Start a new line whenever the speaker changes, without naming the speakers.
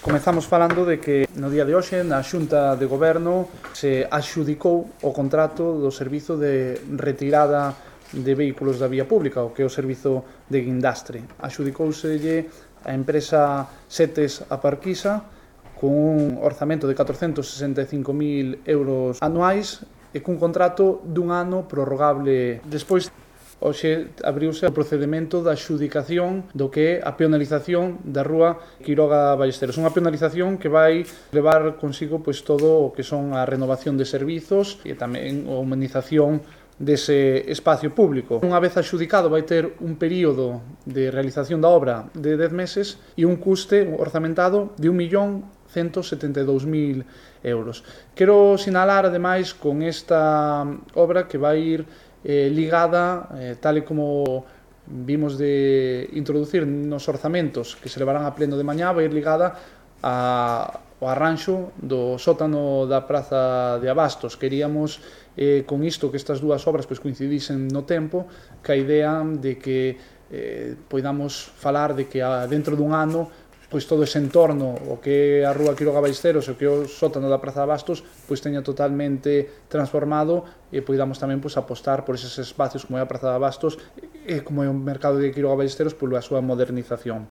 Comezamos falando de que no día de hoxe na Xunta de Goberno se adxudicou o contrato do servizo de retirada de vehículos da vía pública, o que é o servizo de guindastre. Adxudicouselle a empresa Setes Aparquisa con un orzamento de 465.000 euros anuais e cun contrato dun ano prorrogable despois. Hoxe abriuse o procedimento da adxudicación do que é a peonalización da rúa Quiroga Ballesteros. Unha peonalización que vai levar consigo pois, todo o que son a renovación de servizos e tamén a humanización dese espacio público. Unha vez adxudicado vai ter un período de realización da obra de 10 meses e un custe orzamentado de 1.172.000 euros. Quero sinalar, ademais, con esta obra que vai ir ligada, tal e como vimos de introducir nos orzamentos que se levarán a pleno de mañá, vai ir ligada ao arranxo do sótano da Praza de Abastos. Queríamos con isto que estas dúas obras pois, coincidisen no tempo, ca idea de que poidamos falar de que dentro dun ano pois todo ese entorno, o que é a rúa Quiroga Ballesteros e o que é o sótano da Praza de Abastos, pois teña totalmente transformado e poidamos tamén pois, apostar por eses espacios como é a Praza de Abastos e como é o mercado de Quiroga Ballesteros pola súa modernización.